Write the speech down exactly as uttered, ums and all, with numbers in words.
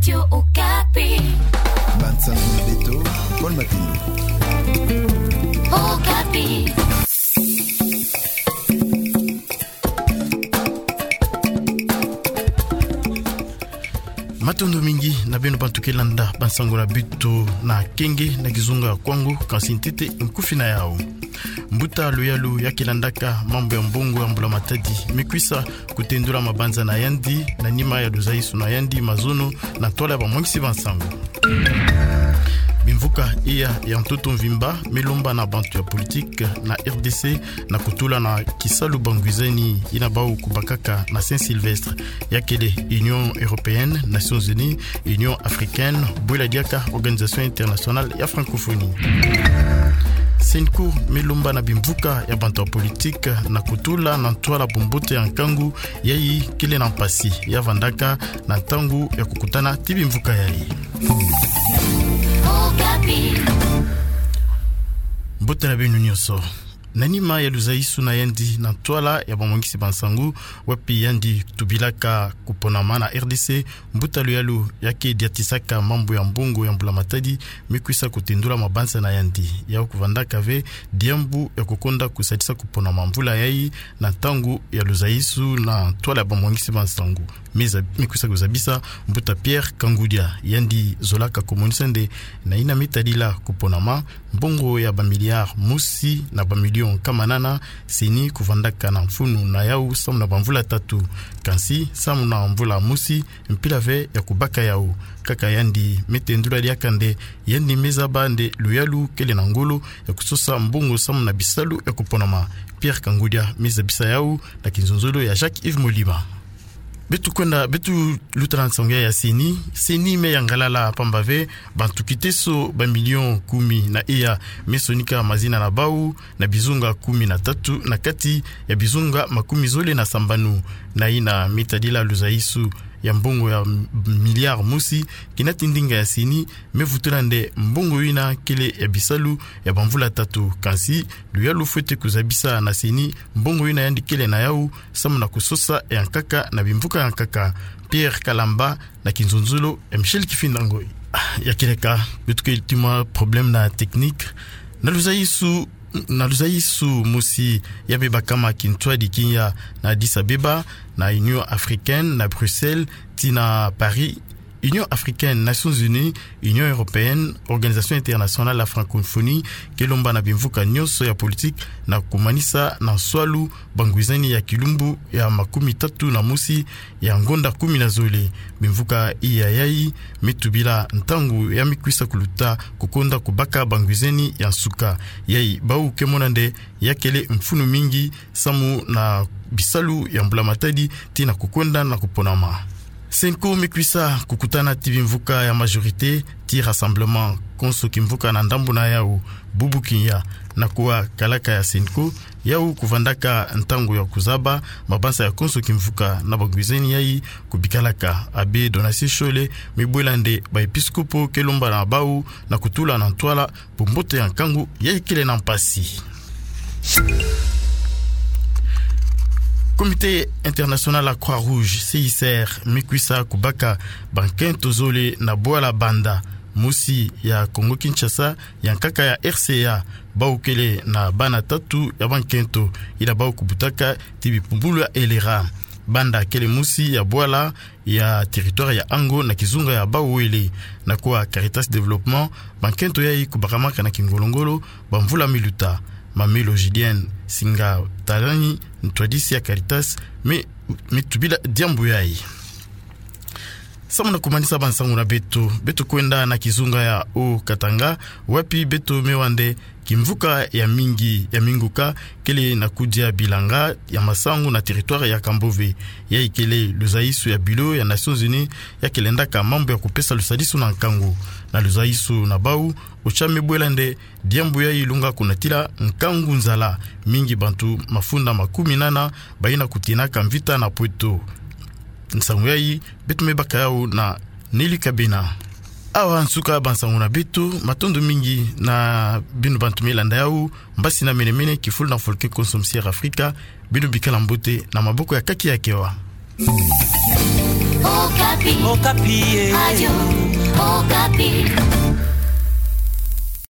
Radio Okapi. Bansango na beto, Paul Mapindu. Okapi. Matondo mingi na beno bantu ke landa bansango na beto na kenge na kizunga ya Kwango, kansi ntete nkufi na yau. Mbuta luyalu ya ke landaka mambu ya mbongo ya mbula matadi me kwisa kutendula mabanza na yandi, na nima ya luzaisu na yandi mazono na ntwala ya bamwangisi bansango. Bimvuka iya ya ntoto mvimba me lomba na bantu ya politike na R D C na kutula na kisalu bangwizani yina bau kubakaka na Saint-Sylvestre, ya kele Union Européenne, Nations Unies, Union Africaine, bwela diaka Organisation Internationale ya Francophonie. Cenco me lomba na bimvuka ya bantu ya politike na kutula na ntwala bumbote ya nkangu yayi kele na mpasi ya vandaka na ntangu ya kukutana ti bimvuka yayi. Mbote na beno nyonso. Na nima ya luzaisu na yandi na ntwala ya bamwangisi bansango, wapi yandi tubilaka kuponama na R D C, mbuta luyalu ya ke diatisaka mambu ya mbongo ya mbula matadi me kwisa kutendula mabanza na yandi ya kuvandaka ve diambu ya kukonda kusadisa kuponama mvula yayi na ntangu ya luzaisu na ntwala ya bamwangisi bansango. Me za-, me kwisa kuzabisa mbuta Pierre Kangudia, yandi zolaka kumonisa nde na yina me tadila kuponama, mbongo ya bamiliare mosi na bamilio nkama nana CENI kuvandaka na mfunu na yau samu na bamvula tatu. Kansi samu na mvula mosi, mpila ve ya kubaka yau. Kaka yandi me tendula diaka nde yandi me zaba nde luyalu kele na ngolo ya kusosa mbongo samu na bisalu ya kuponama. Pierre Kangudia me zabisa yau na kinzonzolo ya Jacques Yves Molima. Beto kwenda, beto luta na nsango ya CENI. CENI me yangalala pamba ve bantu kiteso bamilio kumi na iya me sonika mazina na bau na bizunga kumi na tatu na kati ya bizunga makumi zole na sambanu. Na yina me tadila luzaisu ya mbongo ya m-, miliare mosi, kinati ndinga ya CENI me vutula nde mbongo yina kele ya bisalu ya bamvula tatu. Kansi luyalu fwete kuzabisa na CENI mbongo yina yandi kele na yau samu na kusosa ya nkaka na bimvuka ya nkaka. Pierre Kalamba na kinzonzolo ya Michel Kifinda Ngoyi. Ah, ya kieleka, beto ke tima problème na technique. Na luzaisu, na luzaisu mosi ya me bakama kintwadi kinya na Addis Abeba, na Union Africaine, na Bruxelles, tii na Paris, Union Africaine, Nations Unies, Union Européenne, Organisation Internationale la Francophonie, ke lomba na bimvuka nyonso ya politique na kumanisa na nswalu bangwizani ya kilumbu ya makumi tatu na mosi ya ngonda kumi na zole. Bimvuka iya yayi me tubila ntangu ya me kwisa kuluta kukonda kubaka bangwizani ya nsuka. Yayi bau ke mona nde ya kele mfunu mingi samu na bisalu ya mbula matadi tii na kukwenda na kuponama. CENCO me kwisa kukutana ti bimvuka ya majorité ti rassemblement konso kimvuka na ndambu na yau, bubu kinya, na kuwa kalaka ya CENCO, yau kuvandaka ntangu ya kuzaba mabanza ya konso kimvuka na bangwizani yayi kubikalaka. Abbé Donatien Shole me bwela nde baepiskopo ke lomba na bau na kutula na ntwala bumbote ya nkangu yayi kele na mpasi. Comité International ya Croix-Rouge, C I C R, me kwisa kubaka bankento zole na bwala Banda, mosi ya Congo-Kinshasa, ya nkaka ya R C A, bau kele na bana tatu ya bankento, yina bau kubutaka ti bipumbulu ya Elera. Banda kele mosi ya bwala ya territoire ya Ango na kizunga ya Bas-Uele. Na kuwa Caritas Développement, bankento yayi kubakamaka na kingolo-ngolo bamvula me luta. Mamelo Julienne Singa Talani, ntwadisi ya Caritas, me, me tubila diambu yayi. Samu na kumanisa bansangu na beto, beto kwenda na kizunga ya Haut-Katanga, wapi beto me wa nde kimvuka ya mingi ya minguka kele na kudia bilanga ya masangu na territoire ya Kambove. Yayi kele luzaisu ya bureau ya Nations Unies ya ke lendaka mambu ya kupesa lusadisu na nkangu. Na luzaisu na bau, OCHA me bwela nde diambu yayi lunga kunatila nkangu nzala. Mingi bantu mafunda makumi nana bayina kutinaka mvita na Pweto. Nsangu yayi beto me baka yau na Nelly Kabena. Awa nsuka bansangu na beto, matondo mingi na beno bantu me landa yau. Mbasi na mene-mene, kifulu na fulu ke konso musi ya Afrika, beno bikala mbote na maboko ya Kaki ya Kewa. Okapi. Okapi e. Radio Okapi.